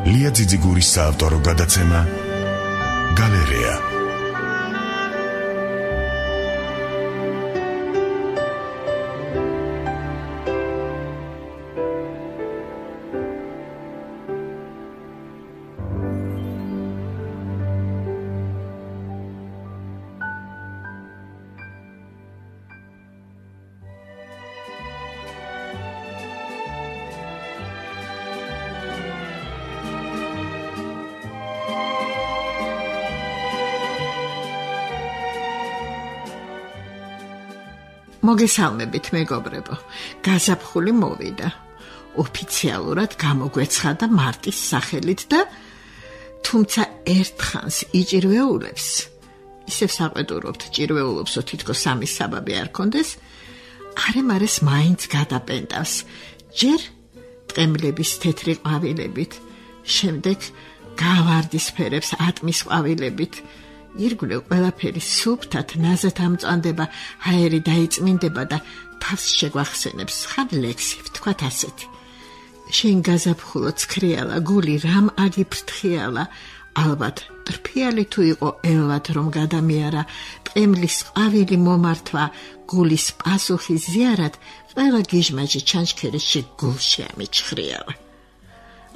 ლია ძიძიგურის საავტორო გადაცემა გალერეა. მოგესალმებით მეგობრებო, გაზაფხული მოვიდა. ოფიციალურად გამოგვეცხადა მარტის სახელით და თუმცა ერთხანს იჭირვეულებს, ისევ საყვედურობთ ჭირვეულობსო თითქოს სამის საბაბი არ კონდეს, არემარეს მაინც გადაპენტავს, ჯერ ტყემლების თეთრი ყვავილებით, შემდეგ გავარდისფერებს ატმის ყვავილებით, ირგვლივ ყველაფერი სუფთად ნაზად ამწვანდება, ჰაერი დაიწმინდება და თავს შეგვახსენებს ხარ ლექსი, ვთქვათ ასეთი. შენ გაზაფხულო ცქრიალა, გული რამ აგიფრთხიალა, ალბათ ტრფიალი თუ იყო ელვად რომ გადამიარა, ტყემლის ყვავილი მომართვა, გულის პასუხი ზიარად, ყველა გიჟმაჯი ჩანჩქერში გულში ამიჩხრიალა.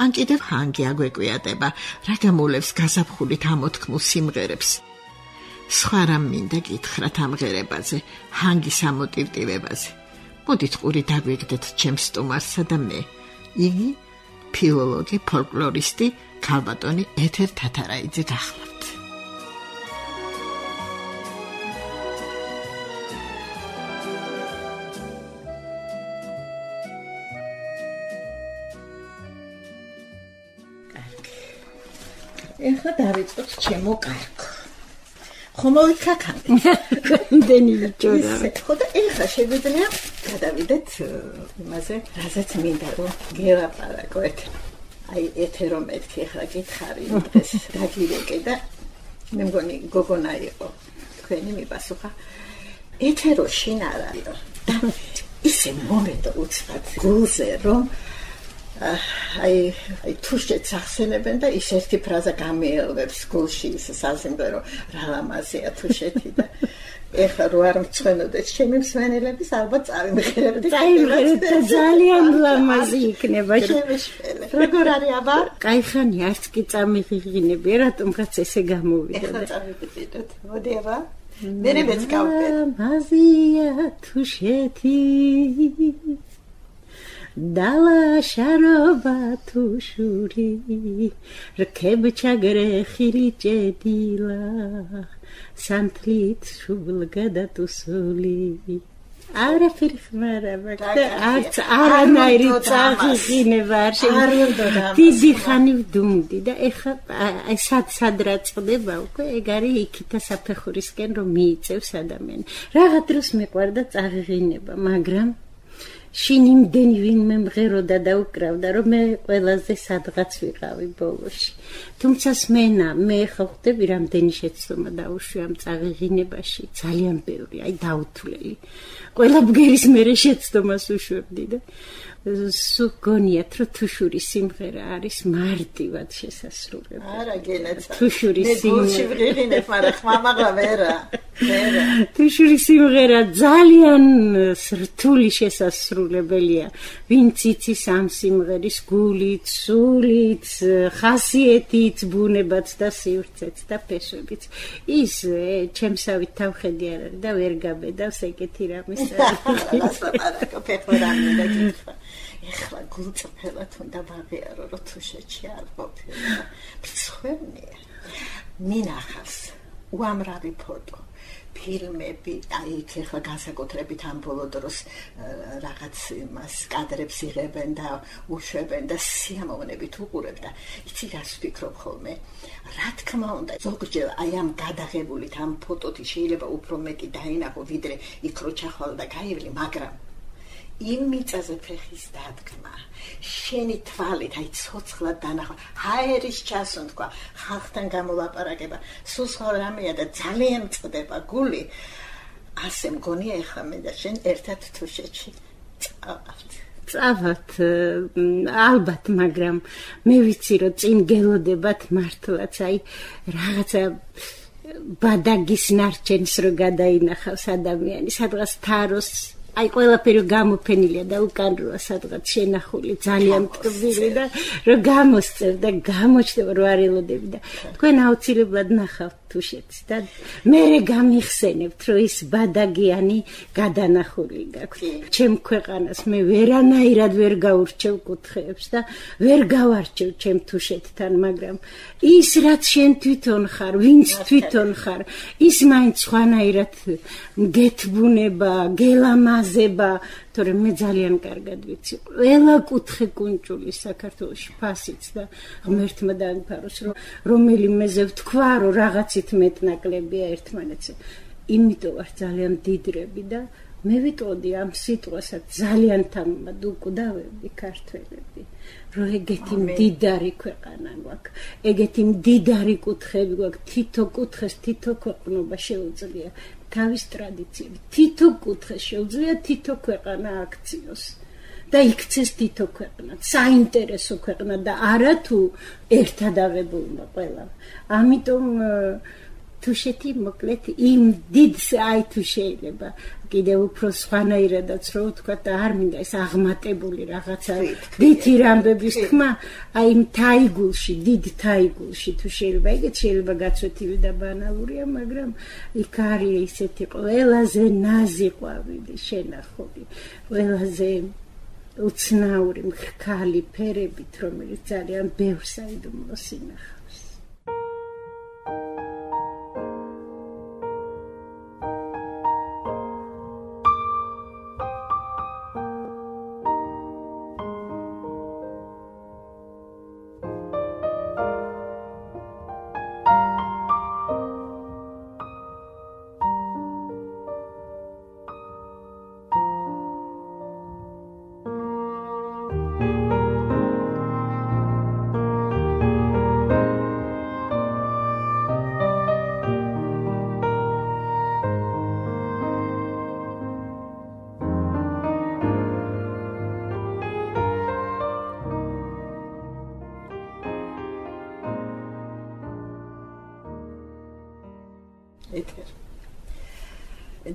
ან კიდევ ჰანგი აგვეკვიატება, რა გამულევს გაზაფხულით ამოთქმულ სიმღერებს. სხვა რამ მინდა გითხრათ ამ ღერებაზე, ჰანგის ამოტივტივებაზე. მოდით ყური დაგვიგდეთ ჩემს სტუმარსა და მე. იგი ფილოლოგი, ფოლკლორისტი, ქალბატონი ეთერ თათარაიძე გახლავთ. ეხლა დავიწყოთ ჩემო კარგო. ხომოვით ხაქანდი. გამდენი ჯორა. ხო და ეხლა შეგვიძლია გადავიდეთ იმაზე, რაზეც მინდა რომ გელაპარაკოთ. აი ეთერო მეთქი ეხლა გითხარი დღეს დაგირეკე და მე მგონი გოგონა იყო. თქვენი მიპასუხა. ეთერო შინ არ არისო. და ისე მომენტო უცბად გულზე რომ აი თუ შეცახსენებენ და ის ერთი ფრაზა გამიელვებს გულში ის სასიმღერო რა ლამაზია თუ შეთი და ეხლა რო არ მწვენოდეს ჩემი მსმენელების ალბათ წავიმღერებდი და ძალიან ლამაზი იქნება შემეშველე როგორ არის აბა? კაიხანი არც კი წამიღიღინები რატომღაც ესე გამოვიდა ეხლა წავიდეთ მოდი აბა მე მეც გავდე ლამაზია თუ შეთი Dala sharoba tu shuri Rkeb chagre khiri jedila Santlit shubl gada tu suli Ara firkhmara bakda arts aranayri tsaghi var Didi khani vdumdi da ეხა აი სად რაწყდება უკვე ეგ არის იქითა საფეხურისკენ რომ მიიწევს ადამიანი რაღა დროს მეყვარდა წაღიღინება მაგრამ შინ იმდენი ვინმე მღეროდა და უკრავდა რომ მე ყველაზე სადღაც ვიყავი ბოლოში თუმცა სმენა მე ხა ხვდები რამდენი შეცდომა დაუშვი ამ წაღიღინებაში ძალიან ბევრი აი დაუთვლელი ყველა ბგერის მერე შეცდომას უშვებდი და სულ გონიათ რომ თუშურის სიმღერა არის მარტივად შესასრულებელი არა გენეცა თუშურის სიმღერა მაგრამ ხმამაღლა ვერა თუშურის სიმღერა ძალიან რთული შესასრულებელია ვინც იცის ამ სიმღერის გულით სულით ხასიეთით ბუნებაც და სივრცეც და ფესვებით ის ჩემსავით თავხედი არ არის და ვერ გაბედავს ეგეთი რამის ეხლა გულწრფელად უნდა ვაღიარო რომ თუშეთში არ ყოფილა მცხვენია მინახავს უამრავი ფოტო ფილმები აი ეხლა განსაკუთრებით ამ ბოლო დროს რაღაც იმას კადრებს იღებენ და უშვებენ და სიამოვნებით უყურებ და იცი რას ვფიქრობ ხოლმე რა თქმა უნდა ზოგჯერ აი ამ გადაღებულით ამ ფოტოთი შეიძლება უფრო მეტი დაინახო ვიდრე იქ რო ჩახვალ და გაივლი მაგრამ იმ მიწაზე ფეხის დადგმა შენი თვალით აი ცოცხლად დანახვა ჰაერის ჩასუნთქვა ხალხთან გამოლაპარაკება სულ სხვა რამეა და ძალიან წდება გული ასე მგონია ეხლა მე და შენ ერთად თუშეთში წავავთ წავალთ ალბათ, მაგრამ მე ვიცი რომ წინ გელოდებათ მართლაც, აი რაღაცა ბადაგის ნარჩენს რო გადაინახავს ადამიანი, სადღაც თაროს აი ყველაფერი გამოფენილია და უკან როა სადღაც შენახული ძალიან ტკბილი და რომ გამოსწევ და გამოჩნდება რომ არ ელოდები და თქვენ აუცილებლად ნახავთ თუშეთს და მერე გამიხსენებთ რომ ის ბადაგიანი გადანახული გაქვთ ჩემ ქვეყანას მე ვერანაირად ვერ გაურჩევ კუთხეებს და ვერ გავარჩევ ჩემ თუშეთთან მაგრამ ის რაც შენ თვითონ ხარ ვინც თვითონ ხარ ის მაინც სხვანაირად გეთბუნება გელამაზება თორემ მე ძალიან კარგად ვიცი ყველა კუთხე კუნჭული საქართველოში ფასიც და ღმერთმა დაიფაროს რომელიმეზე ვთქვა რომ რაღაცით მეტნაკლებია ერთმანეთზე იმიტომ ვარ ძალიან დიდრები და მე ვიტყოდი ამ სიტყვასაც ძალიან თამამად უკვდავები ქართველები რომ ეგეთი მდიდარი ქვეყანა გვაქვს ეგეთი მდიდარი კუთხეები გვაქვს თითო კუთხეს თითო ქვეყნობა შეუძლია თავის ტრადიციები თითო კუთხეს შეუძლია თითო ქვეყანა აქციოს და იქცეს თითო ქვეყნა საინტერესო ქვეყნა და არა თუ ერთად აღებულმა ყველა ამიტომ თუშეთი მოკლედ იმ დიდს აი თუ შეიძლება კიდევ უფრო სხვანაირადაც რო ვთქვა და არ მინდა ეს აღმატებული რაღაცა დიდი რამბების თქმა აი იმ თაიგულში დიდ თაიგულში თუ შეიძლება ეგეც შეიძლება გაცვეთილი და ბანალურია მაგრამ იქ არის ისეთი ყველაზე ნაზი ყვავილი შენახული ყველაზე უცნაური მქალი ფერებით რომელიც ძალიან ბევრს აიდუმლოს ინახავს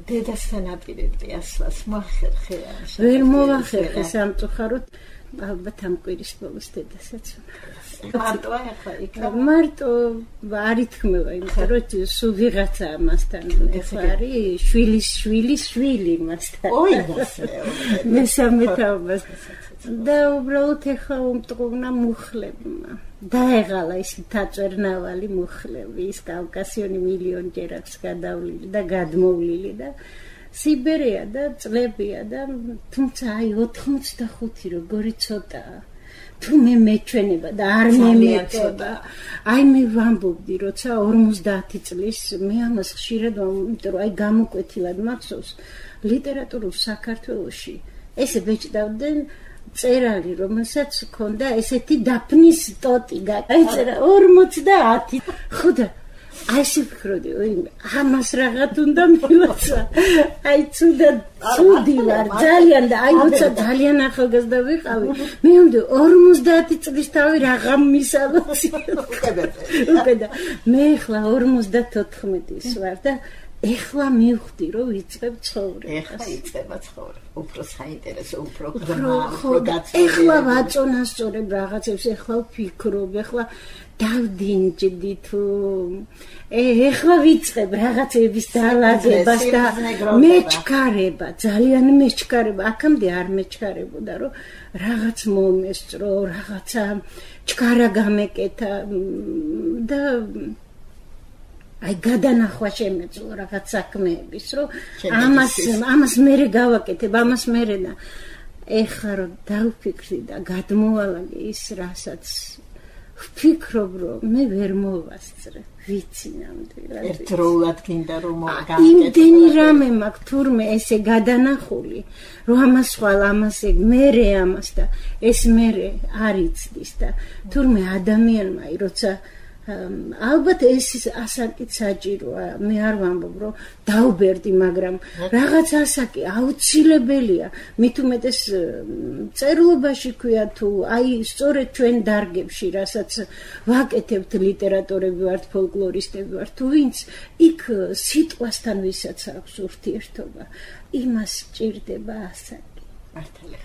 დედასთან აპირებდი ასლას მოახერხე ვერ მოვახერხე სამწუხაროდ ალბათ ამ კვირის ბოლოს დედასაც მარტოა ახლა იქ მარტო არ ითქმევა იმიტომ რომ სულ ვიღაცა ამასთან ახლა არის შვილის შვილი მასთან ოი მესამე თაობას და უბრალოდ ახლა უმტყუნა მუხლებმა დაეღალა ის თაწვერნავალი მუხლები ის კავკასიონი მილიონჯერ აქვს გადავლილი და გადმოვლილი და სიბერია და წლებია და თუმცა აი 85 როგორი ცოტაა თუ მე მეჩვენება და არ მემეწოდა აი მე ვამბობდი როცა 50 წლის მე ამას ხშირად იმიტომ რომ აი გამოკვეთილად მახსოვს ლიტერატურულ საქართველოში ესე ბეჭდავდნენ წერალი რომელსაც ჰქონდა ესეთი დაფნის ტოტი გაიწერა 50 ხოდა აი შევფიქროდი ამას რაღაც უნდა მილოცა აი ცუდი ვარ ძალიან და აი როცა ძალიან ახალგაზრდა ვიყავი მე უნდა 50 წლის თავი რაღაც მისალოცი უკედა მე ახლა 54-ის ვარ და ეხლა მივხვდი რომ ვიწყებ ცხოვრებას. ეხლა იწყება ცხოვრება. უფრო საინტერესო, უფრო ეხლა ვაწონასწორებ რაღაცებს, ეხლა ვფიქრობ, ეხლა დავდინჯდი თუ ეხლა ვიწყებ რაღაცების დალაგებას და მეჩქარება, ძალიან მეჩქარება. აქამდე არ მეჩქარებოდა, რომ რაღაც მომესწრო, რაღაცა ჩქარა გამეკეთა და აი გადანახვა შემეძლო რაღაც საქმეების რომ ამას მერე გავაკეთებ ამას მერე და ეხლა რომ დავფიქრი და გადმოვალაგე ის რასაც ვფიქრობ რომ მე ვერ მოვასწრე ვიცი ნამდვილად ერთდროულად გინდა რომ გავაკეთო იმდენი რამე მაქვს თურმე ესე გადანახული რომ ამას ხვალ ამას ეგ მერე ამას და ეს მერე არ იცდის და თურმე ადამიანმა როცა ალბათ ეს ასაკით საჭიროა. მე არ ვამბობ, რომ დაუბერდი, მაგრამ რაღაც ასაკი აუცილებელია. მით უმეტეს წერლობაში ქვია თუ აი სწორედ ჩვენ დარგებში, რასაც ვაკეთებთ, ლიტერატორები ვართ, ფოლკლორისტები ვართ, თუ ვინც იქ სიტყვასთან ვისაც აქვს ურთიერთობა, იმას ჭირდება ასაკი. მართალია.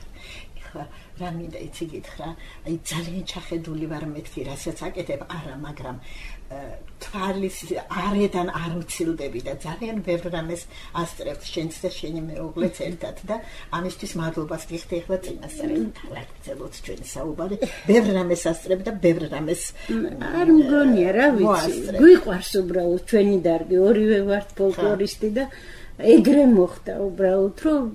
ეხლა რა მინდა იცი გითხრა, აი ძალიან ჩახედული ვარ მეთქი, რასაც აკეთებ, არა, მაგრამ თვალის არედან არ უცილდები და ძალიან ბევრ რამეს ასწრებთ შენც და შენი მეუღლეც ერთად და ამისთვის მადლობას გიხდი ეხლა წინასწარ გაგრძელოთ ჩვენი საუბარი. ბევრ რამეს ასწრებ და ბევრ რამეს არ მგონია, რა ვიცი. გვიყვარს უბრალოდ ჩვენი დარგი, ორივე ვართ ფოლკლორისტი და ეგრე მოხდა უბრალოდ, რომ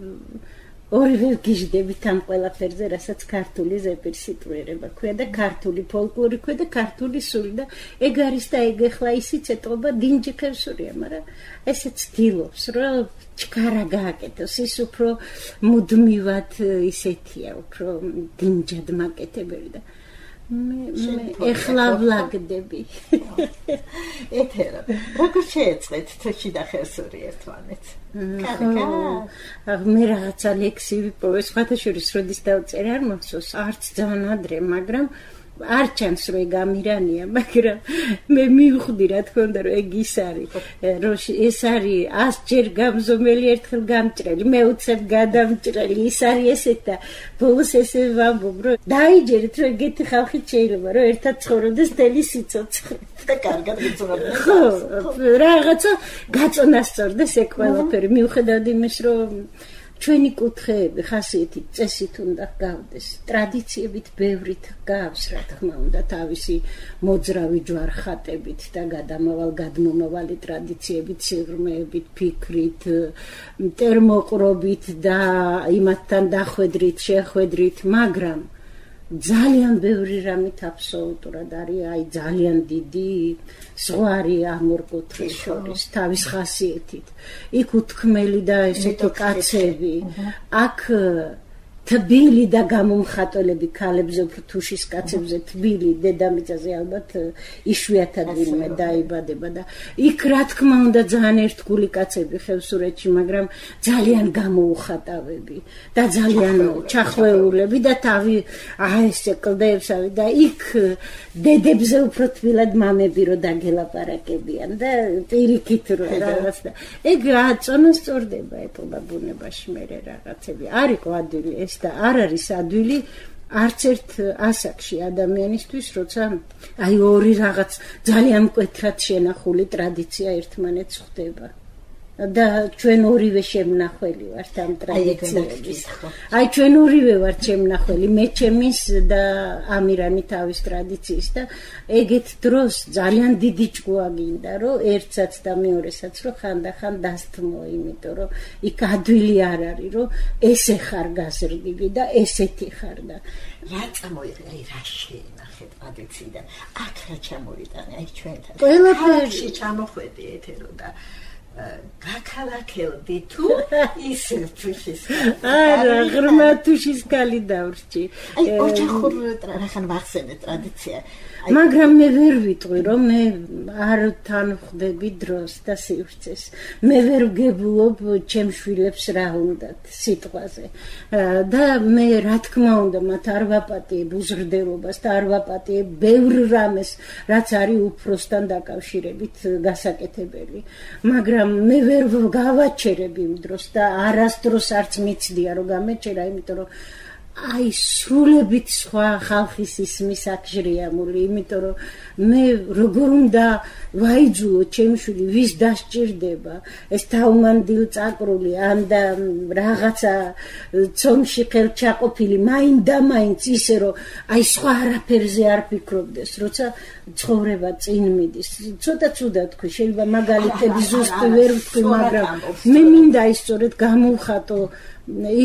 ორივე გიჟდებით ამ ყველაფერზე, რასაც ქართული ზეპირსიტყვიერება ქვია და ქართული ფოლკლორი ქვია და ქართული სული და ეგ არის და ეგ ახლა ისიც ეტყობა დინჯი ხევსურია, მაგრამ ესე ცდილობს, რომ ჩქარა გააკეთოს, ის უფრო მუდმივად ისეთია, უფრო დინჯად მაკეთებელი და მე ეხლა ვლაგდები. ეთერა, როგორ შეეწყეთ თოში და ხევსური ერთმანეთს? მე რაღაცა ლექსივი პოვე, სხვათა შორის როდის დავწერე არ მახსოვს, არც ძალიან ადრე, მაგრამ არ ჩანს რომ ეგ ამირანია, მაგრამ მე მივხვდი რა თქმა უნდა რომ ეგ ის არის, რომ ეს არის 100 ჯერ გამზომელი ერთხელ გამჭრელი, მეუცებ გადამჭრელი, ის არის ესეთ და ბოლოს ესე ვამბობ რომ დაიჯერეთ რომ ეგეთი ხალხი შეიძლება რომ ერთად ცხოვრობდეს მთელი სიცოცხლე და კარგად გიწურავდნენ. ხო, რაღაცა გაწონასწორდეს ეგ ყველაფერი, მიუხედავად იმის რომ ჩვენი კუთხეები ხასიათით წესით უნდა გავდეს, ტრადიციებით ბევრით გავს, რა თქმა უნდა, თავისი მოძრავი ჯვარხატებით და გადმომავალი ტრადიციებით, სიღრმეებით, ფიქრით, ტერმოყრობით და იმათთან დახვედრით, შეხვედრით, მაგრამ ძალიან ბევრი რამით აბსოლუტურად არის, აი ძალიან დიდი ზღვარი ამ ორ კუთხეს შორის თავის ხასიათით. იქ უთქმელი და ესეთი კაცები, აქ თბილი და გამომხატველები ქალებზე, უფრო თუშის კაცებზე თბილი, დედამიწაზე ალბათ იშვიათად ვინმე დაიბადება და იქ რა თქმა უნდა ძალიან ერთგული კაცები ხევსურეთში, მაგრამ ძალიან გამოუხატავები და ძალიან ჩახვეულები და თავი ესე კლდეებსავი და იქ დედებზე უფრო თბილად მამები რო დაგელაპარაკებიან და პირიქით რო რაღაც და ეგ წონასწორდება ეტყობა ბუნებაში მე რაღაცები არ იყო ადვილი ეს და არ არის ადვილი არც ერთ ასაკში ადამიანისთვის, როცა აი ორი რაღაც ძალიან მკვეთრად შენახული ტრადიცია ერთმანეთს ხვდება. და ჩვენ ორივე შემნახველი ვართ ამ ტრადიციების. აი ჩვენ ორივე ვართ შემნახველი, მე ჩემის და ამირანი თავის ტრადიციის და ეგეთ დროს ძალიან დიდი ჭკუა გინდა, რომ ერთსაც და მეორესაც რომ ხანდახან დასთმო, იმიტომ რომ იქ ადვილი არ არის, რომ ესე ხარ გაზრდილი და ესეთი ხარ და რა წამოიღე, რა შეინახე ტრადიციიდან, აქ რა ჩამოვიტანე, აი ჩვენთან. ყველაფერში ჩამოხვედი ეთერო და გაქალაქელდი თუ ის თუშის არა ღრმა თუშის კალი დავრჩი აი ოჯახურ რახან ვახსენე ტრადიცია მაგრამ მე ვერ ვიტყვი რომ მე არ თანხდები დროს და სივრცეს მე ვერ ვგებულობ ჩემ შვილებს რა უნდათ სიტყვაზე და მე რა თქმა უნდა მათ არ ვაპატიებ უზრდელობას და არ ვაპატიებ ბევრ რამეს რაც არის უფროსთან დაკავშირებით გასაკეთებელი მაგრამ მე ვერ გავაჩერებ იმ დროს და არასდროს არც მიცდია რომ გამეჩერა იმიტომ რომ აი სრულებით სხვა ხალხის ისმის აქჟრიამული იმიტომ რომ მე როგორ უნდა ვაიძულო ჩემშვილი ვის დასჭირდება ეს თავმანდილ წაკრული ან და რაღაცა ცომში ხელჩაყოფილი მაინდამაინც ისე რომ აი სხვა არაფერზე არ ფიქრობდეს როცა ცხოვრება წინ მიდის ცოტა ცუდად თქვი შეიძლება მაგალითები ზუსტი ვერ ვთქვი მაგრამ მე მინდა ის სწორედ გამოვხატო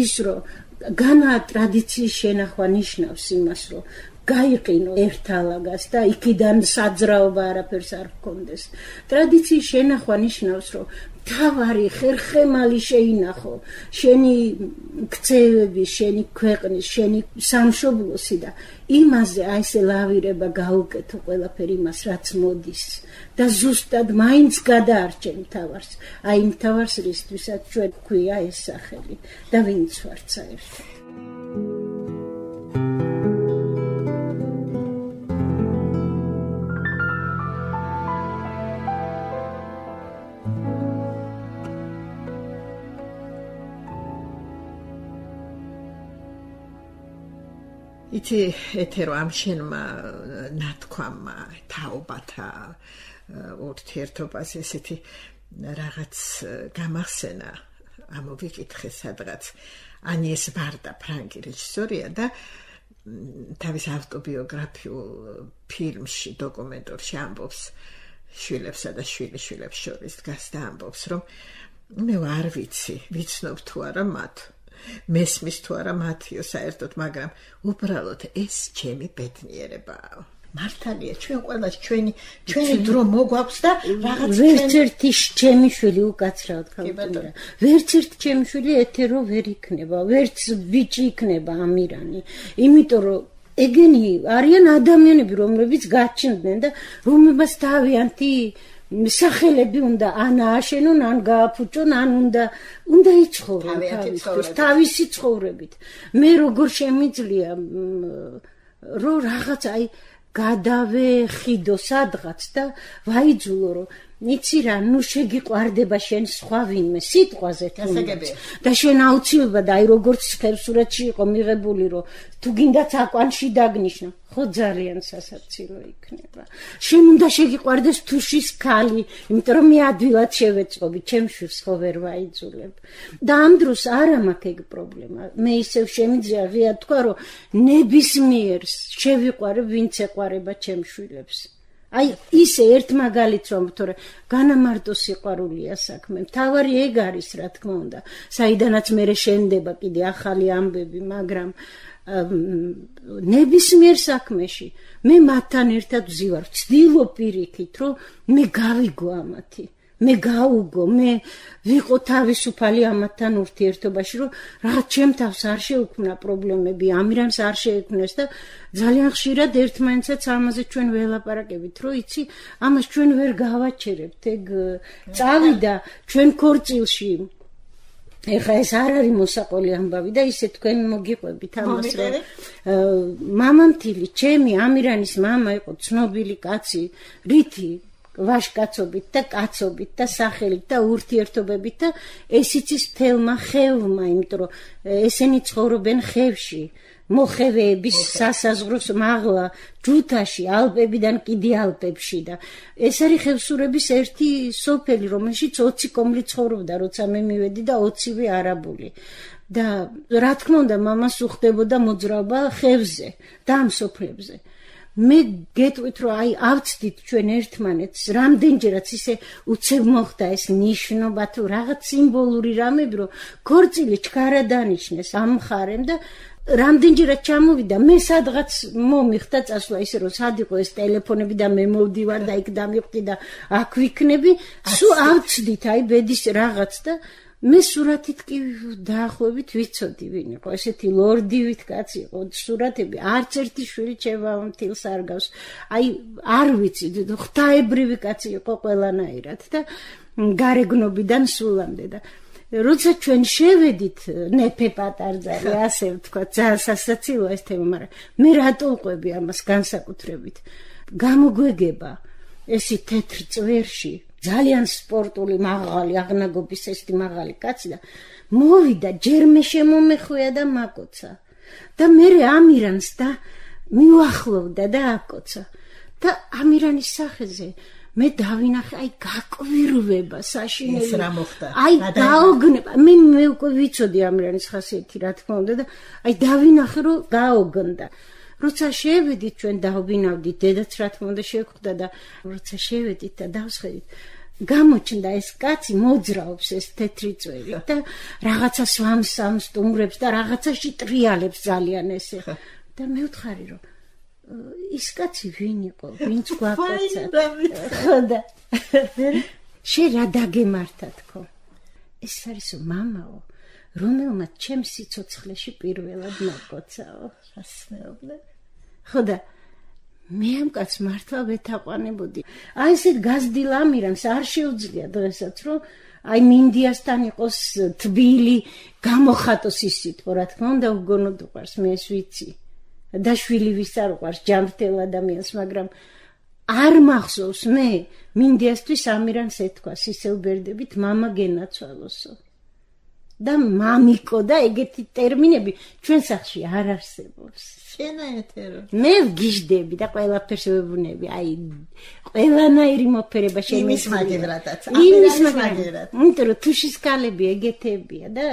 ის რომ განა ტრადიციის შენახვა ნიშნავს იმას რომ გაიყინო ერთალაგას და იქიდან საძრაობა არაფერს არ ჰქონდეს. ტრადიციის შენახვა ნიშნავს, რომ თავარი ხერხემალი შეინახო, შენი ქცევები, შენი ქვეყნის, შენი სამშობლოსი და იმაზე აი ესე ლავირება გაუკეთო ყველაფერი მას, რაც მოდის და ზუსტად მაინც გადაარჩენ თავს. აი იმ თავს, რისთვისაც ჩვენ გვქვია ეს სახელი და ვინც ვართ საერთოდ. იცი ეთერო ამ შენმა ნათქვამმა თაობათა ურთიერთობას ესეთი რაღაც გამახსენა ამოვიკითხე სადღაც ანიეს ვარდა ფრანგი რეჟისორია და თავის ავტობიოგრაფიულ ფილმში დოკუმენტურში ამბობს შვილებსა და შვილიშვილებს შორის დგას და ამბობს რომ მე არ ვიცნობ თუ არა მათ მესმის თუ არა მათიო საერთოდ მაგრამ უბრალოდ ეს ჩემი ბედნიერებაა მართალია ჩვენ ყველას ჩვენი დრო მოგვაქვს და რაღაც ვერც ერთი ჩემი შვილი უკაცრავად გავუწია ვერც ერთი ჩემი შვილი ეთერო ვერ იქნება ვერც ბიჭი იქნება ამირანი იმიტომ რომ ეგენი არიან ადამიანები რომლებიც გაჩნდნენ და რომლებსაც თავიანთი სახელები უნდა ან ააშენონ ან გააფუჭონ ან უნდა იცხოვრონ თავისი ცხოვრებით მე როგორ შემიძლია რომ რაღაც აი გადავეხიდო სადღაც და ვაიძულო რომ იცი რა ნუ შეგიყვარდება შენ სხვა ვინმე სიტყვაზე და შენ აუცილებლად აი როგორც ხევსურეთში იყო მიღებული რომ თუ გინდათ აკვანში დაგნიშნო ხო ძალიან სასაცილო იქნება შენ უნდა შეგიყვარდეს თუშის ქალი იმიტომ რომ მე ადვილად შევეწყობი ჩემ შვილს ხო ვერ ვაიძულებ და ამ დროს არა მაქვს ეგ პრობლემა მე ისევ შემიძლია ღია თქვა რომ ნებისმიერს შევიყვარებ ვინც ეყვარება ჩემ შვილებს აი ისე ერთ მაგალითს რომ თორე განამარტო სიყვარულია საქმე მთავარი ეგ არის რა თქმა უნდა საიდანაც მე შენდება კიდე ახალი ამბები მაგრამ ნებისმიერ საქმეში მე მათთან ერთად ვზივარ ვცდილობ პირიქით რომ მე გავიგო ამათი მე გაუგო მე ვიყო თავისუფალი ამათთან ურთიერთობაში რომ რაღაც ჩემ თავს არ შეუქმნა პრობლემები ამირანს არ შეექმნეს და ძალიან ხშირად ერთმანეთსაც ამაზე ჩვენ ველაპარაკებით რომ იცი ამას ჩვენ ვერ გავაჩერებთ ეგ წავიდა ჩვენ ქორწილში ეხა ეს არ არის მოსაყოლი ამბავი და ისე თქვენ მოგიყვებით ამას რომ მამამთილი ჩემი ამირანის მამა იყო ცნობილი კაცი რითი ვაშკაცობით და კაცობით და სახელით და ურთიერთობებით და ეს იცის მთელმა ხევმა იმიტომ რომ ესენი ცხოვრობენ ხევში მოხევეების სასაზღვროს მაღლა ჯუთაში ალპებიდან კიდე ალპებში და ეს არის ხევსურების ერთი სოფელი რომელშიც 20 კომლი ცხოვრობდა როცა მე მივედი და 20-ვე არაბული და რა თქმა უნდა მამას უხდებოდა მოძრაობა ხევზე და ამ სოფლებზე მე გეტყვით რომ აი ავწდით ჩვენ ერთმანეთს რამდენჯერაც ისე უცებ მოხდა ეს ნიშნობა თუ რაღაც სიმბოლური რამები რომ ქორწილი ჩქარა დანიშნეს ამ მხარემ და რამდენჯერაც ჩამოვიდა მე სადღაც მომიხდა წასვლა ისე რომ სად იყო ეს ტელეფონები და მე მოვდივარ და იქ დამიხვდი და აქ ვიქნები სულ ავწდით აი ბედის რაღაც და მე სურათით კი დაახლოებით ვიცოდი ვინ იყო ესეთი ლორდივით კაცი იყო სურათები არც ერთი შვილი ჩემს არ გავს აი არ ვიცი ღვთაებრივი კაცი იყო ყველანაირად და გარეგნობიდან სულამდე და როცა ჩვენ შევედით ნეფე პატარძალი ასე ვთქვა ძალიან სასაცილოა ეს თემა მაგრამ მე რატო ვყვები ამას განსაკუთრებით გამოგვეგება ესი თეთრ წვერში ძალიან სპორტული მაღალი აღნაგობის ესეთი მაღალი კაცი და მოვიდა ჯერ მე შემომეხვია და მაკოცა და მე ამირანს და მიუახლოვდა და აკოცა და ამირანის სახეზე მე დავინახე აი გაკვირვება საშინელი ეს რა მოხდა აი გაოგნება მე უკვე ვიცოდი ამირანის ხასიათი რა თქმა უნდა და აი დავინახე რომ გაოგნდა როცა შევედით ჩვენ დავბინავდით დედაც რა თქმა უნდა შევხვდა და როცა შევედით და დავსხედით გამოჩნდა ეს კაცი მოძრაობს ეს თეთრი წვერი და რაღაცა სვამს სტუმრებს და რაღაცაში ტრიალებს ძალიან ესე და მე ვთხარი რომ ის კაცი ვინ იყო? ვინც გვაკოცა? ხო და შენ რა დაგემართა თქო? ეს არის მამაო, რომელმაც ჩემს სიცოცხლეში პირველად მოკოცაო. ასმეობლე. ხო და მე ამ კაცს მართლა ვეთაყვანებოდი. აი ესე გაზრდილ ამირანს არ შეუძლია დღესაც რომ აი მინდიასთან იყოს თბილი გამოხატოს ის სიტყვა, რა თქმა უნდა უგონოდ უყვარს, მე ეს ვიცი. და შვილი ვის არ უყვარს ჯანმრთელ ადამიანს, მაგრამ არ მახსოვს მე მინდიასთვის ამირანს ეთქვა სისელ ბერდებით მამა გენაცვალოსო. და მამიკო და ეგეთი ტერმინები ჩვენ სახლში არ არსებობს. შენაეთერო. მე ვგიჟდები და ყველაფერს ვეუბნები, აი ყველანაირი მოფერება შემიძლია. იმის მაგერადაც. იმის მაგერად. იმიტომ რომ თუშის ქალები ეგეთებია და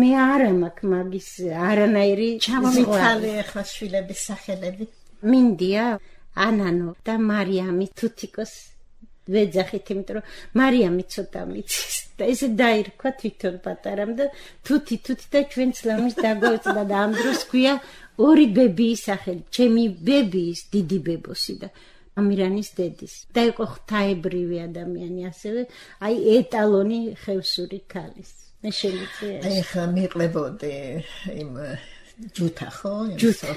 მე არ მაქვს მაგის არანაირი ჩამომიქალე ახლა შვილების სახელები. მინდია, ანანო და მარიამი თუთიკოს ვეძახით, იმიტომ რომ მარიამი ცოტა მიცის და ესე დაირქვა თვითონ პატარამ და თუთი და ჩვენც ლამის დაგვეწდა და ამ დროს ქვია ორი ბებიის სახელი, ჩემი ბებიის დიდი ბებოსი და ამირანის დედის. და იყო ღვთაებრივი ადამიანი ასევე, აი ეტალონი ხევსური ქალის. მე შემიძლია. აი ხა მიყლებოდი იმ ჯუთა ხო? ჯუთა.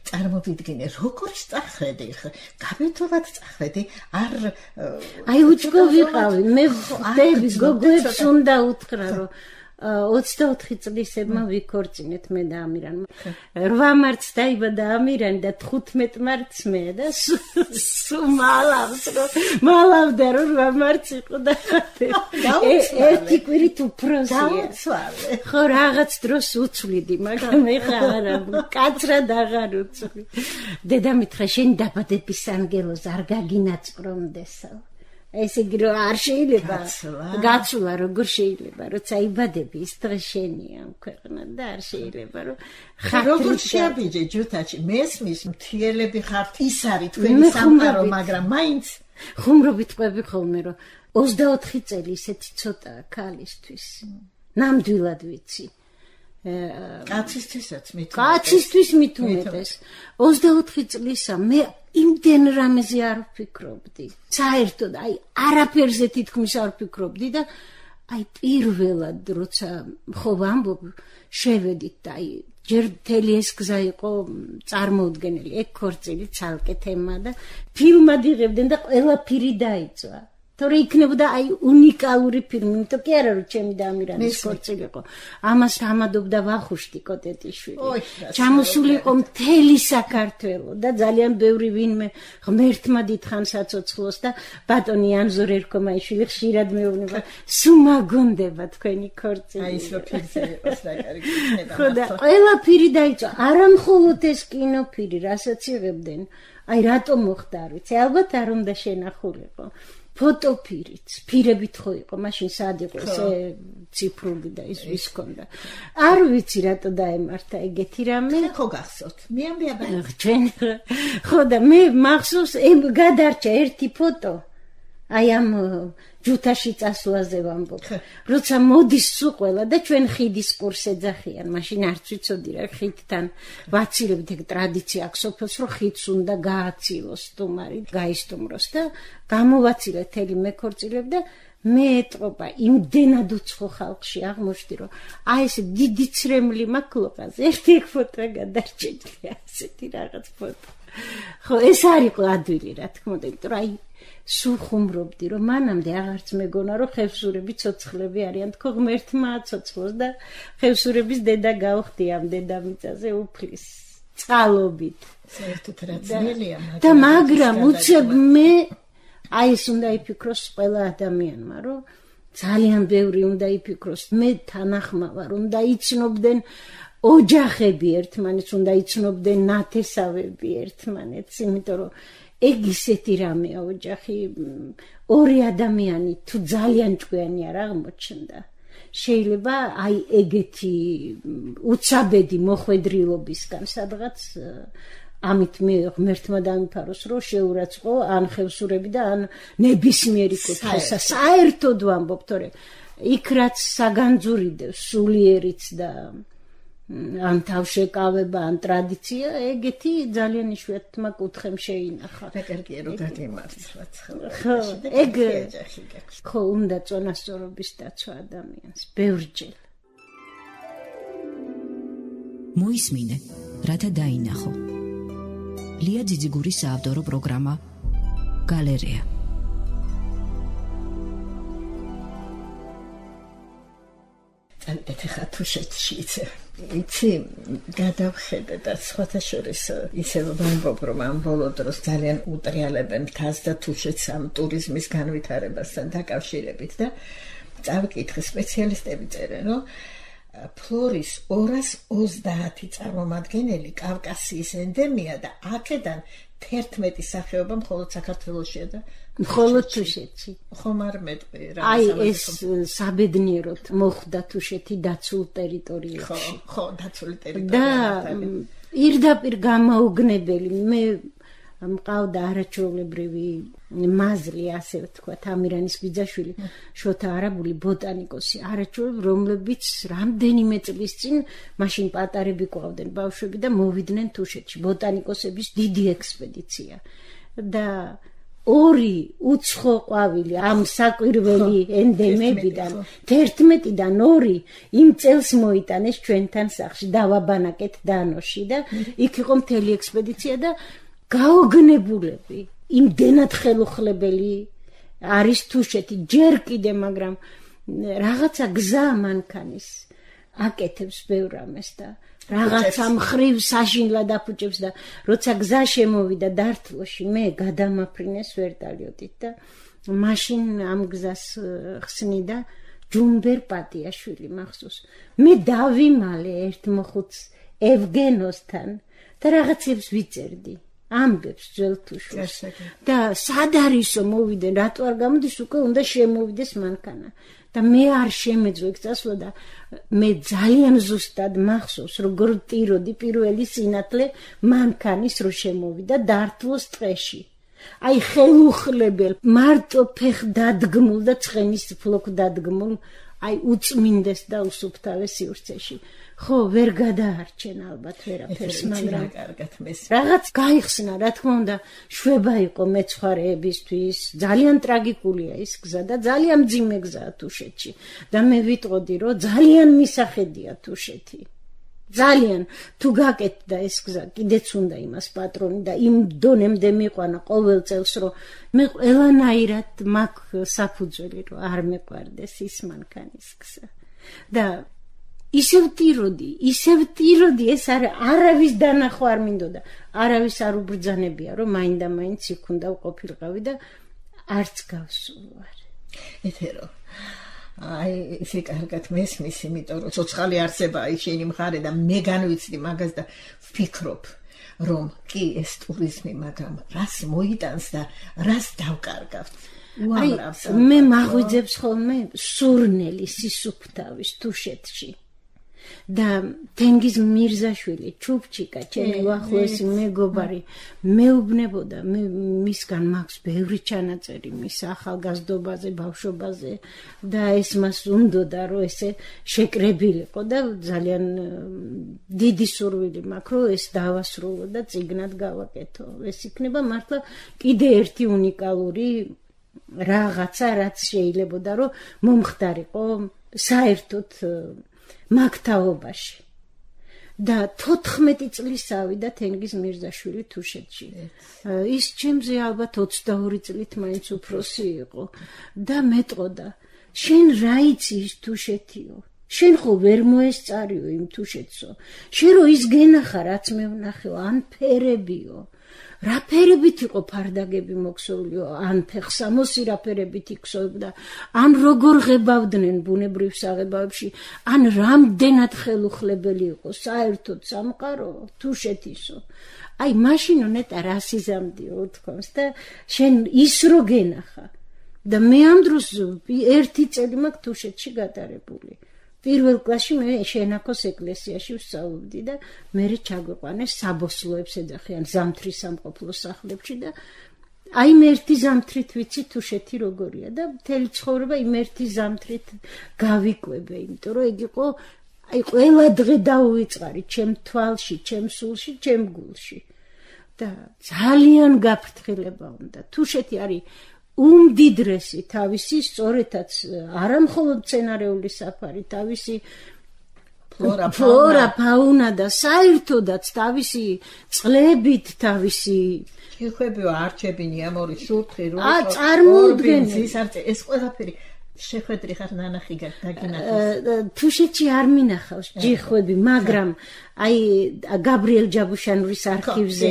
წარმოვიდგინე როგორ წახედი ხა გაბეთულად წახედი არ აი უჩქო ვიყავი მე ხდები გოგოებს უნდა უთხრა რომ 24 წლისებმა ვიქორწინეთ მე და ამირანმა 8 მარტს დაიბადა ამირანი და 15 მარტს მე და სულ მალავდა რომ 8 მარტს იყო და ერთი კვირით უფროსია ხო რაღაც დროს უცვლიდი მაგრამ ეხა არა კაცრად აღარ უცვლი დედამითხრა შენ დაბადების ანგელოზ არ გაგინაწვრომდესო ეს იგი რომ არ შეიძლება გაცვლა როგორ შეიძლება როცა იბადები ის დღე შენია ქვეყნა და არ შეიძლება რომ როგორ შეაბიჯე ჯუთაჩი მესმის მთიელები ხართ ის არის თქვენი სამყარო მაგრამ მაინც ხუმრობით ყვები ხოლმე რომ 24 წელი ისეთი ცოტაა ქალისთვის ნამდვილად ვიცი კაცისთვისაც მით კაცისთვის მით უმეტეს 24 წლისა მე იმდენ რამეზე არ ვფიქრობდი. საერთოდ აი არაფერზე თითქმის არ ვფიქრობდი და აი პირველად როცა ხო ვამბობ შევედით და აი ჯერ მთელი ეს გზა იყო წარმოუდგენელი. ეგ ქორწილი ცალკე თემა და ფილმად იღებდნენ და ყველაფერი დაიწვა. თორე იქნებოდა აი უნიკალური ფილმი, იმიტომ კი არა რომ ჩემი და ამირანის ქორწილი იყო. ამას ამადობდა ვახუშტი კოტეტიშვილი. ჩამოსული იყო მთელი საქართველო და ძალიან ბევრი ვინმე ღმერთმა დიდხან საცოცხლოს და ბატონი ანზორ ერქომაიშვილი ხშირად მეუბნება, სულ მაგონდება თქვენი ქორწილი. აი ის რო ფილმზე იყოს რა კარგი იქნება. ხო და ყველაფერი დაიწვა. არა მხოლოდ ეს კინოფილმი, რასაც იღებდნენ. აი რატომ მოხდა არ ვიცი, ალბათ არ უნდა შენახულიყო. ფოტოფირიც, ფირებით ხო იყო, მაშინ სად იყო ესე ციფრული და ის ვის ქონდა. არ ვიცი რატო დაემართა ეგეთი რამე. ხო გახსოვთ. მე ამბია ჩვენ ხო და მე მახსოვს გადარჩა ერთი ფოტო. აი ამ ჯუთაში წასვლაზე ვამბობ. როცა მოდის სულ ყველა და ჩვენ ხიდის კურს ეძახიან, მაშინ არც ვიცოდი რა ხიდთან ვაცილებთ ეგ ტრადიცია აქვს სოფელს რომ ხიდს უნდა გააცილოს სტუმარი, გაისტუმროს და გამოვაცილეთ თელი მეკორწილებ და მე ეტყობა იმდენად უცხო ხალხში აღმოჩნდი რომ აი ეს დიდი ცრემლი მაკლოყაზე ერთი ფოტო გადარჩენილია ასეთი რაღაც ფოტო. ხო ეს არ იყო ადვილი რა თქმა უნდა, იმიტომ რომ აი სულ ხუმრობდი რომ მანამდე აღარც მეგონა რომ ხევსურები ცოცხლები არიან, თქო ღმერთმა აცოცხლოს და ხევსურების დედა გავხდი ამ დედამიწაზე უფლის წყალობით. საერთოდ რა ძნელია და მაგრამ უცებ მე აი ეს უნდა იფიქროს ყველა ადამიანმა რომ ძალიან ბევრი უნდა იფიქროს მე თანახმა ვარ უნდა იცნობდნენ ოჯახები ერთმანეთს უნდა იცნობდნენ ნათესავები ერთმანეთს იმიტომ რომ ეგ ისეთი რამეა ოჯახი ორი ადამიანი თუ ძალიან ჭკვიანი არ აღმოჩნდა შეიძლება აი ეგეთი უცაბედი მოხვედრილობისგან სადღაც ამით მე ღმერთმა დამიფაროს რომ შეურაცხყო ან ხევსურები და ან ნებისმიერი კუთხესა საერთოდ ვამბობ თორე იქ რაც საგანძურიდევს სულიერიც და ან თავშეკავება, ან ტრადიცია, ეგეთი ძალიან იშვიათმა კუთხემ შეინახა. რაკერგია რო გაგემართლაც ხო, ეგ ხო უნდა წონასწორობის დაცვა ადამიანს, ბევრჯერ. მოისმინე, რათა დაინახო. ლია ძიძიგურის საავტორო პროგრამა გალერეა. წავიდეთ ახლა თუშეთში იცი გადავხედე და სხვათა შორის ისევ ვამბობ რომ ამ ბოლო დროს ძალიან უტრიალებენ მთას და თუშეთს ამ ტურიზმის განვითარებასთან დაკავშირებით და წავიკითხე სპეციალისტები წერენ რომ ფლორის 230 წარმომადგენელი კავკასიის ენდემია და აქედან 11 სახეობა მხოლოდ საქართველოშია და მხოლოდ თუშეთში. ხომ არ მეტყვი რა. აი ეს საბედნიეროდ მოხვდა თუშეთი დაცულ ტერიტორიებში. ხო, დაცული ტერიტორია. და პირდაპირ გამოუგნებელი მე მყავდა არაჩვეულებრივი მაზლი, ასე ვთქვათ, ამირანის ბიძაშვილი, შოთა არაბული ბოტანიკოსი, არაჩვეულებრივი, რომლებიც რამდენიმე წლის წინ მაშინ პატარები ყვავდნენ ბავშვები და მოვიდნენ თუშეთში, ბოტანიკოსების დიდი ექსპედიცია. და 2 უცხო ყვავილი ამ საკვირველი ენდემებიდან 11-დან 2 იმ წელს მოიტანეს ჩვენთან სახლში, დავაბანაკეთ დანოში და იქ იყო მთელი ექსპედიცია და გაოგნებულები, იმდენად ხელუხლებელი არის თუშეთი ჯერ კიდე, მაგრამ რაღაცა გზა მანქანის აკეთებს ბევრ ამას და რაღაცა მხრივ საშინლად აფუჭებს და როცა გზა შემოვიდა დართლოში, მე გადამაფრინეს ვერტალიოტით და მაშინ ამ გზას ხსნიდა ჯუმბერ პატიაშვილი მახსოვს. მე დავიმალე ერთ მოხუცს ევგენოსთან და რაღაცებს ვიწერდი. ამბებს ძველ თუშეთს და სად არისო მოვიდნენ, რატო არ გამოდის, უკვე უნდა შემოვიდეს მანქანა და მე არ შემეძლო იქ წასვლა და მე ძალიან ზუსტად მახსოვს როგორ ტიროდი პირველი სინათლე მანქანის რო შემოვიდა დართლოს ტყეში. აი ხელუხლებელ მარტო ფეხ დადგმულ და ცხენის ფლოკ დადგმულ აი უწმინდეს და უსუფთავე სივრცეში. ხო, ვერ გადაარჩენ ალბათ ვერაფერს, მაგრამ კარგად მეს რაღაც გაიხსნა, რა თქმა უნდა, შვება იყო მეცხვარეებისთვის, ძალიან ტრაგიკულია ის გზა და ძალიან მძიმე გზაა თუშეთში და მე ვიტყოდი, რომ ძალიან მისახედია თუშეთი. ძალიან თუ გაკეთდა ეს გზა, კიდეც უნდა იმას პატრონი და იმ დონემდე მიყვანა ყოველ წელს, რომ მე ყველანაირად მაქვს საფუძველი, რომ არ მეყვარდეს ის მანქანის გზა. და ისევ ტიროდი, ეს არავის დანახვა არ მინდოდა, არავის არ უბრძანებია, რომ მაინდა-მაინც იქ უნდა ვყოფილიყავი და არც გავსულვარ. ეთერო აი ისე კარგად მესმის, იმიტომ რომ ცოცხალი არსებაა შენი მხარე და მე განვიცდი მაგას და ვფიქრობ, რომ კი ეს ტურიზმი, მაგრამ რას მოიტანს და რას დავკარგავთ. უამრავს მე მაღვიძებს ხოლმე სურნელი სისუფთავის თუშეთში. და თენგიზ მირზაშვილი, ჩუბჩიკა, ჩემი უახლოესი მეგობარი, მეუბნებოდა, მე მისგან მაქვს ბევრი ჩანაწერი მის ახალგაზრდობაზე, ბავშვობაზე და ეს მას უნდოდა, რომ ესე შეკრებილიყო და ძალიან დიდი სურვილი მაქვს, რომ ეს დავასრულო და წიგნად გავაკეთო. ეს იქნება მართლა კიდე ერთი უნიკალური რაღაცა, რაც შეიძლებოდა, რომ მომხდარიყო საერთოდ მაგთაობაში. და 14 წლის ავიდა თენგიზ მირზაშვილი თუშეთში. ის ჩემზე ალბათ 22 წლით მაინც უფროსი იყო და მეტყოდა, შენ რა იცი ის თუშეთიო? შენ ხო ვერ მოესწარიო იმ თუშეთსო? შენ რო ის გენახა, რაც მე ვნახეო, ან ფერებიო? რა ფერებით იყო ფარდაგები მოქსოვლიო, ან ფეხსამოსი რა ფერებით იქსოვდა, ან როგორ ღებავდნენ ბუნებრივ საღებავებში, ან რამდენად ხელუხლებელი იყო საერთოდ სამყარო თუშეთისო. აი მაშინ ნეტა რასიზამდიო თქოს და შენ ის რო გენახა და მე ამ დროს 1 წელი მაქვს თუშეთში გატარებული. პირველ კლასში მე შენაქოს ეკლესიაში ვსწავლობდი და მე ჩაგვიყვანეს საბოსლოებს ეძახიან ზამთრის სამყოფლო სახლებში და აი მე ერთი ზამთრით ვიცი თუშეთი როგორია და მთელი ცხოვრება იმ ერთი ზამთრით გავიკვებე, იმიტომ რომ ეგ იყო აი ყველა დღე დაუვიწყარი ჩემ თვალში, ჩემ სულში, ჩემ გულში. და ძალიან გაფრთხილება უნდა. თუშეთი არის უმდიდრესი თავისი სწორედაც არა მხოლოდ მცენარეული საფარი, თავისი ფლორა, ფაუნა და საერთოდაც თავისი წყლებით, თავისი ჯიხვები, არჩები, ნიამორი, შურთხი, წარმოუდგენელი. ეს ყველაფერი შეხვედრი ხარ ნანახი დაგინახავს. თუშეთში არ მინახავს ჯიხვები, მაგრამ აი გაბრიელ ჯაბუშანურის არქივზე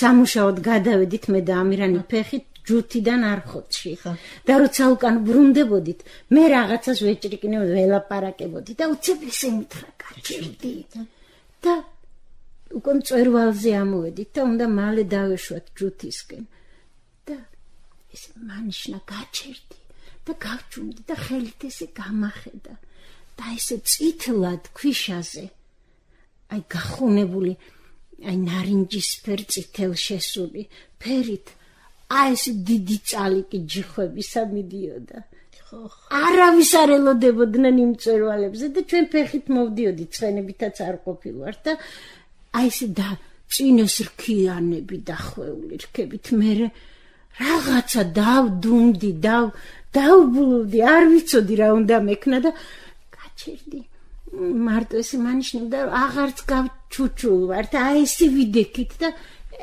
სამუშაოდ გადავედით მე და ამირანი ფეხით ჯუთიდან არხოტში. და როცა უკან ბრუნდებოდით, მე რაღაცას ვეჭრიკნევ, ველაპარაკებოდი და უცებლის ემითხრა გაჭირდი. და უკან მწვერვალზე ამოვედით და უნდა მალე დავეშვათ ჯუთისკენ. და ეს მანიშნა გაჭირდი. და გავჭუმდი და ხელით ესე გამახედა და ესე წითლად ქვიშაზე აი გახუნებული აი ნარინჯისფერ წითელ შესული ფერით აი ეს დიდი წალიკი ჯიხვებისა მიდიოდა. არავის არ ელოდებოდნენ იმ მწვერვალებზე და ჩვენ ფეხით მოვდიოდით, ცხენებითაც არ ყოფილვართ და აი ესე და წინეს რქიანები დახვეული რქებით მე რაღაცა დავდუმდი, დავბლუდი, არ ვიცოდი რა უნდა მექნა და გაჩერდი. მარტო ესე მანიშნებდა რომ აღარც გავჩუჩულ ვარ და აი ესე ვიდექით და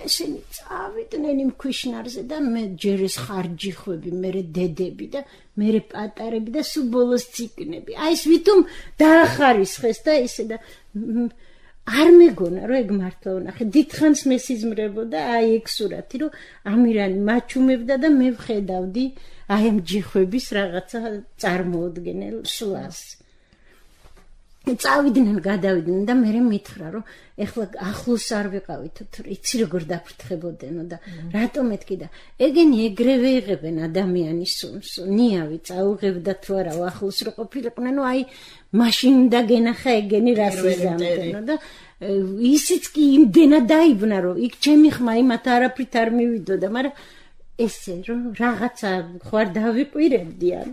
ესენი წავიდნენ იმ ქვიშნარზე და მე ჯერ ეს ხარჯიხვები, მე დედები და მე პატარები და სულ ბოლოს ციკნები. აი ეს ვითომ დაახარისხეს და ესე და არ მეგონა რომ ეგ მართლა ვნახე. დიდხანს მესიზმრებოდა აი ეგ სურათი რომ ამირანი მაჩუმებდა და მე ვხედავდი აი ამ ჯიხვების რაღაცა წარმოუდგენელ სვლას. წავიდნენ, გადავიდნენ და მე მითხრა რომ ეხლა ახლოს არ ვიყავით, იცი როგორ დაფრთხებოდენო და რატომ მეთქი და ეგენი ეგრევე იღებენ ადამიანის სუნს. ნიავი წაუღებდა თუ არა ახლოს რო ყოფილიყვნენ, აი მაშინ უნდა გენახა ეგენი რას იზამთენო და ისიც კი იმდენად დაიბნა რომ იქ ჩემი ხმა იმათ არაფრით არ მივიდოდა, მაგრამ ესე რომ რაღაცა ხوار დავიყვირებდიან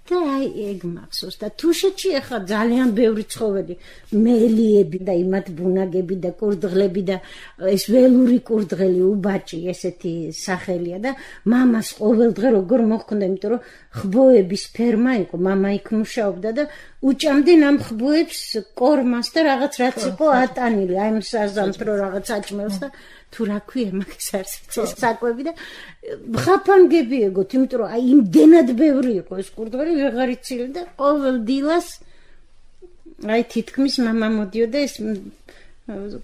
და აი ეგ მახსოვს და თუშეთში ახლა ძალიან ბევრი ცხოველი, მელიები და იმათ ბუნაგები და კურდღლები და ეს ველური კურდღელი უბაჭი ესეთი სახელია და მამას ყოველდღე როგორ მოხდა, იმიტომ რომ ხბოების ფერმა იყო, მამა იქ მუშაობდა და უჭამდნენ ამ ხბოებს კორმას და რაღაც რაც იყო ატანილი, აი მსაზამთრო რაღაც აჭმელს და თუ რა ქვია მაგის არის საკვები და ხაფანგები ეგოთ, იმიტომ რომ აი იმდენად ბევრი იყო ეს კურდღელი ვეღარ იცილი და ყოველ დილას აი თითქმის მამა მოდიოდა ეს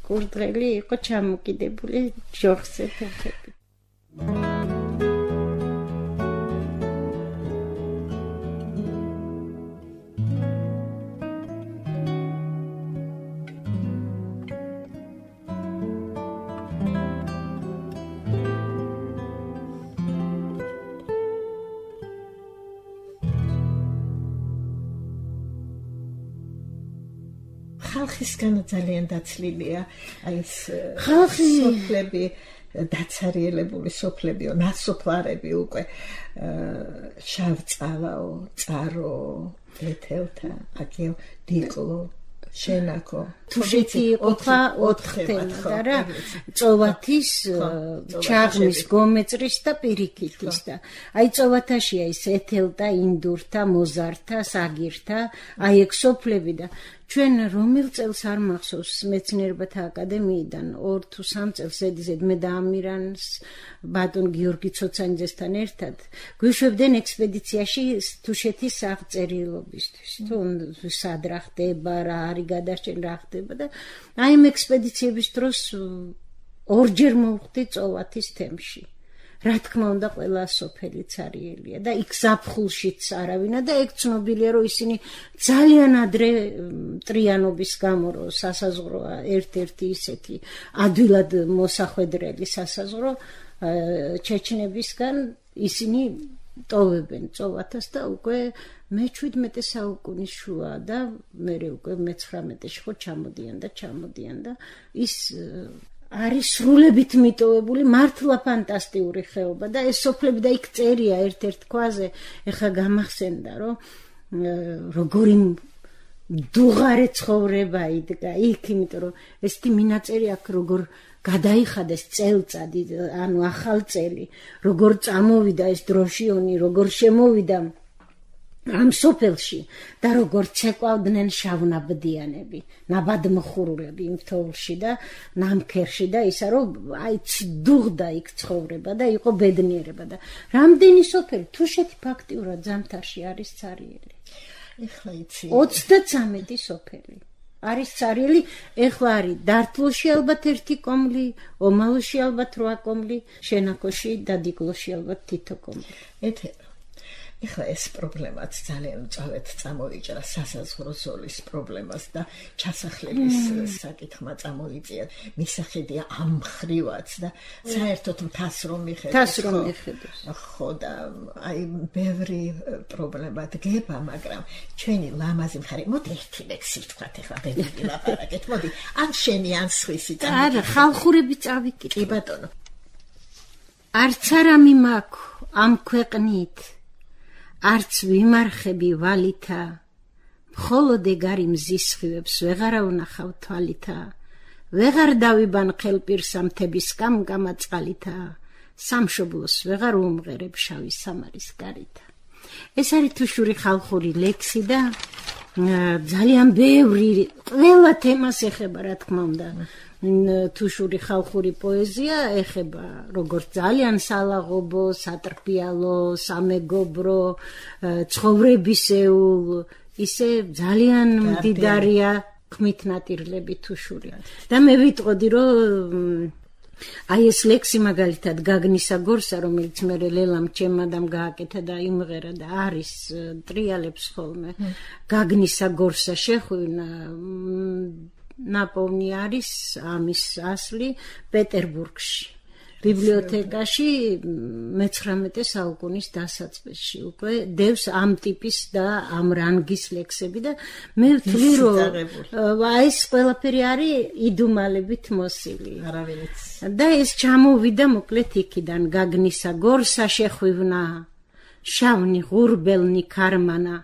კურდღელი იყო ჩამოკიდებული ჯოხზე ფეხები. ხალხისგან ძალიან დაცლილია აი ეს ხალხი სოფლები, დაცარიელებული სოფლებიო, ნასოფლარები უკვე შავწალაო, წარო, ეთელთა, აქეო დიკლო, შენაკო. თუშეთი იყო 4 თემა და წოვათის, ჩაღმის, გომეწრის და პირიქითის და აი წოვათაშია ის ეთელთა, ინდურთა, მოზართა, საგირთა, აი ეგ სოფლები და ჩვენ რომელ წელს არ მახსოვს მეცნიერებათა აკადემიიდან 2 თუ 3 წელს ედიზედ მე და ამირანს ბატონ გიორგი ცოცანიძესთან ერთად გვიშვებდნენ ექსპედიციაში თუშეთის აღწერილობისთვის თუ სად რა ხდება, რა არის გადარჩენ, რა ხდება და აი ამ ექსპედიციების დროს ორჯერ მოვხდი წოვათის თემში. რა თქმა უნდა ყველა სოფელი цаრიელია და იქ ზაფხულშიც არავინა და ეგ ცნობილია რომ ისინი ძალიან ადრე ტრიანობის გამო რომ სასაზღვრო ერთ-ერთი ისეთი ადვილად მოსახვედრელი სასაზღვრო ჩეჩნებისგან ისინი ტოვებენ წოვათას და უკვე მე-17 საუკუნის შუა და მე უკვე მე-19-ში ხო ჩამოდიან და ის არის სრულებით მიტოვებული, მართლა ფანტასტიკური ხეობა და ეს სოფლები და იქ წერია ერთ-ერთ ქვაზე, ეხლა გამახსენდა რომ როგორი დუღარე ცხოვრება იდგა იქ, იმიტომ რომ ესეთი მინაწერი აქ როგორ გადაიხადეს წელწადი, ანუ ახალ წელი, როგორ წამოვიდა ეს დროშიონი, როგორ შემოვიდა ამ სოფელში და როგორ ცეკვავდნენ შავნაბდიანები, ნაბადმხურულები იმ თოვლში და ნამქერში და ისა რომ დუღდა იქ ცხოვრება და იყო ბედნიერება და რამდენი სოფელი თუშეთი ფაქტიურად ზამთარში არის цаრიელი. ეხლა იცი 33 სოფელი არის цаრიელი, ეხლა არის დართლოში ალბათ 1 კომლი, ომალოში ალბათ 8 კომლი, შენაქოში და დიგლოში ალბათ თითო კომლი. ეხლა ეს პრობლემაც ძალიან მწვავედ წამოიჭრა სასაზღვრო ზოლის პრობლემას და ჩასახლების საკითხმა წამოიწია. მისახედია ამ ხრივაც და საერთოდ მთას რომ მიხედავს. ხო და აი ბევრი პრობლემა დგება, მაგრამ ჩვენი ლამაზი მხარე, მოდი ერთი ლექსი ვთქვათ ეხლა ბევრი ლაპარაკეთ, მოდი ან შენი ან სხვისი წამი. არა, ხალხურები წავიკითხე. კი ბატონო. არც არამი მაქვს ამ ქვეყნით არც ვიმარხები ვალითა, მხოლოდ ეგარი მზის სხივებს ვეღარა ვნახავ თვალითა, ვეღარ დავიბან ხელპირსა მთების კამკამა წყალითა, სამშობლოს ვეღარ უმღერებ შავი სამარის გარითა. ეს არის თუშური ხალხური ლექსი და ძალიან ბევრი ყველა თემას ეხება, რა თქმა უნდა. თუშური ხალხური პოეზია ეხება როგორც ძალიან სალაღობო, სატრფიალო, სამეგობრო, ცხოვრებისეულ, ისე ძალიან მდიდარია ხმით ნატირლები თუშური. და მე ვიტყოდი, რომ აი ეს ლექსი მაგალითად გაგნისა გორსა, რომელიც მე ლელამ ჩემადამ გააკეთა და იმღერა და არის ტრიალებს ხოლმე. გაგნისა გორსა შეხვევნა ნაპოვნი არის ამის ასლი პეტერბურგში, ბიბლიოთეკაში 19 საუკუნის დასაწყისში უკვე დევს ამ ტიპის და ამ რანგის ლექსები და მე ვთვლი რომ ეს ყველაფერი არის იდუმალებით მოსილი. და ეს ჩამოვიდა მოკლედ იქიდან გაგნისა გორსა შეხვივნა, შავნი ღურბელნი ქარმანა,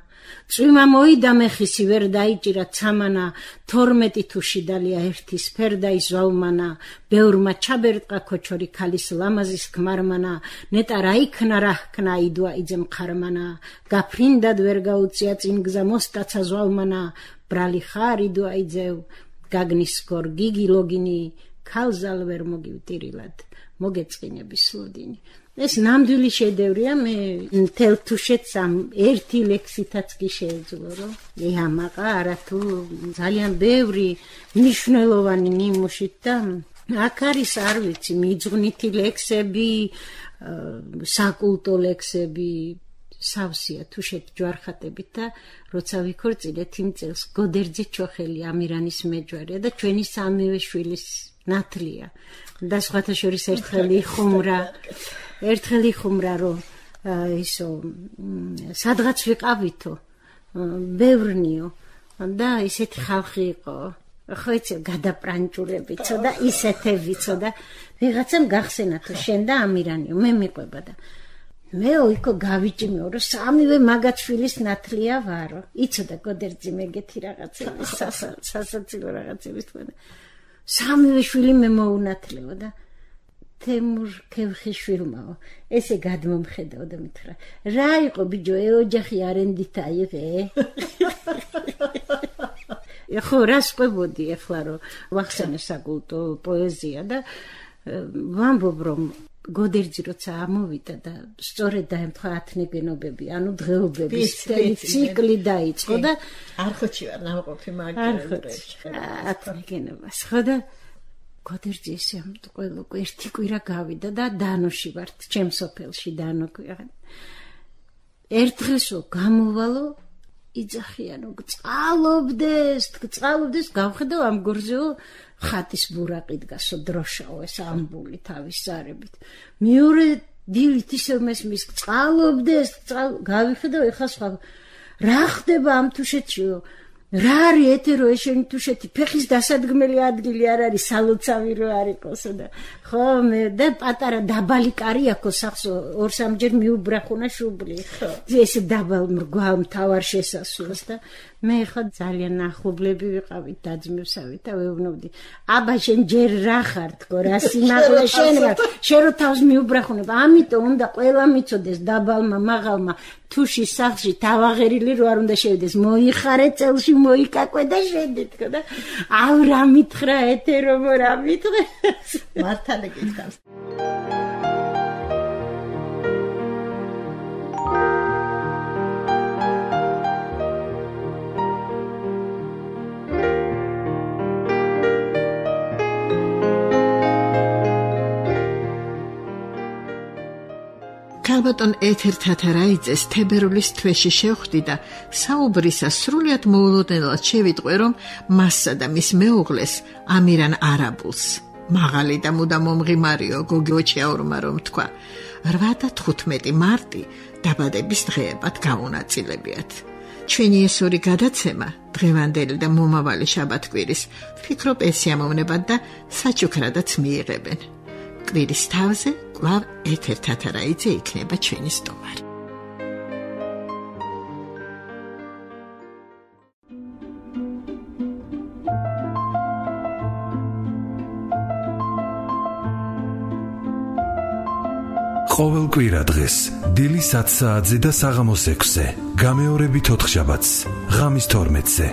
წვიმა მოიდა მეხისი ვერ დაიჭირა ცამანა, 12 თუში დალია ერთის ფერდაი ზვავმანა, ბევრმა ჩაბერტყა ქოჩორი ქალის ლამაზის ქმარმანა, ნეტა რა იქნა რა ჰქნა იდვა იძემ ხარმანა, გაფრინდად ვერ გაუწია წინ გზა მოსტაცა ზვავმანა, ბრალი ხარ იდვა იძევ, გაგნის გორ გიგი ლოგინი, ქალზალ ვერ მოგივტირილად, მოგეწყინები სლოდინი. ეს ნამდვილი შედევრია, მე მთელ თუშეთს ამ ერთი ლექსითაც კი შეეძლო, რომ ამაყა არათუ ძალიან ბევრი მნიშვნელოვანი ნიმუშით და აქ არის არ ვიცი მიძღვნითი ლექსები, საკულტო ლექსები, სავსეა თუშეთ ჯვარხატებით და როცა ვიქორწინეთ იმ წელს გოდერძე ჩოხელი ამირანის მეჯვარია და ჩვენი სამივე შვილის ნათლია და სხვათა შორის ერთხელ იხუმრა რომ ისო სადღაც ვიყავითო ბევრნიო და ისეთი ხალხი იყო, ხო იცი გადაპრანჭულებიცო და ისეთებიცო და ვიღაცამ გახსენა თუ შენ და ამირანიო მე მიყვება და მე ოიქო გავიჭიმეო რომ სამივე მაგაცშვილის ნათლია ვარო. იცოდა გოდერძი მეგეთი რაღაცები სასაცილო რაღაცები თქვა. სამივე შვილი მე მოუნათლეო და თემურ ქევხიშვილმაო ესე გადმომხედავ და მითხრა რა იყო ბიჭო ეოჯახი არენდით აიღე? ხო რას ყვებოდი ახლა რომ ვახსენე საკულტო პოეზია და ვამბობ რომ გოდერძი როცა ამოვიდა და სწორედ დაემთხვა ათნეგენობები, ანუ დღეობების ციკლი დაიწყო და არხოჩი ვარ ნამყოფი მაგერებს ათნეგენობას ხო და გოდერძი ესე ამტყველო ერთი კვირა გავიდა და დანოში ვართ, ჩემ სოფელში დანო ქვია. ერთ დღესო გამოვალო იძახიანო წყალობდეს გავხედავ ამ გორზეო ხატის ბურაყი დგასო დროშაო ეს ამბული თავის ზარებით. მეორე დილით ისევ მესმის წყალობდეს გავიხედავ ეხლა სხვა რა ხდება ამ თუშეთშიო რა არის ეთერო ეშენი თუშეთი ფეხის დასადგმელი ადგილი არ არის სალოცავი რო არ იყოსო და ხო მე და პატარა დაბალი კარი აქვს სახს 2-3ჯერ მიუბრახუნა შუბლი ხო ეს დაბალ მრგვალ მთავარ შესასვლელს და მე ხო ძალიან ახლობლები ვიყავით დაძმევსავით და ვეუბნებდი აბა შენ ჯერ რა ხარ თქო რა სიმაღლე შენ რა შენ რო თავს მიუბრახუნებ ამიტომ უნდა ყველა მიცოდეს დაბალმა მაღალმა თუშის სახლში თავაღერილი რო არ უნდა შევიდეს მოიხარე წელში მოიკაკვე და შედი თქო და აუ რა მითხრა ეთერო რა მითხრა მართალი გითხავს ქალბატონ ეთერ თათარაიძეს თებერვლის თვეში შევხვდი და საუბრისა სრულიად მოულოდნელად შევიტყვე, რომ მასსა და მის მეუღლეს ამირან არაბულს მაღალი და მუდამ მომღიმარიო გოგი ოჩიაურმა რომ თქვა 8 და 15 მარტი დაბადების დღეებად გამონაწილებიათ. ჩვენი ეს ორი გადაცემა დღევანდელი და მომავალი შაბათკვირის ვფიქრობ ეს ამოვნებად და საჩუქრადაც მიიღებენ. კვირის თავზე კვლავ ეთერ თათარაიძე იქნება ჩვენი სტუმარი. ყოველ კვირა დღეს დილის 10 საათზე და საღამოს 6-ზე, გამეორებით 4 შაბათს, ღამის 12-ზე.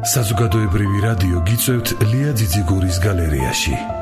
საზოგადოებრივი რადიო გიწევთ ლია ძიძიგურის გალერეაში.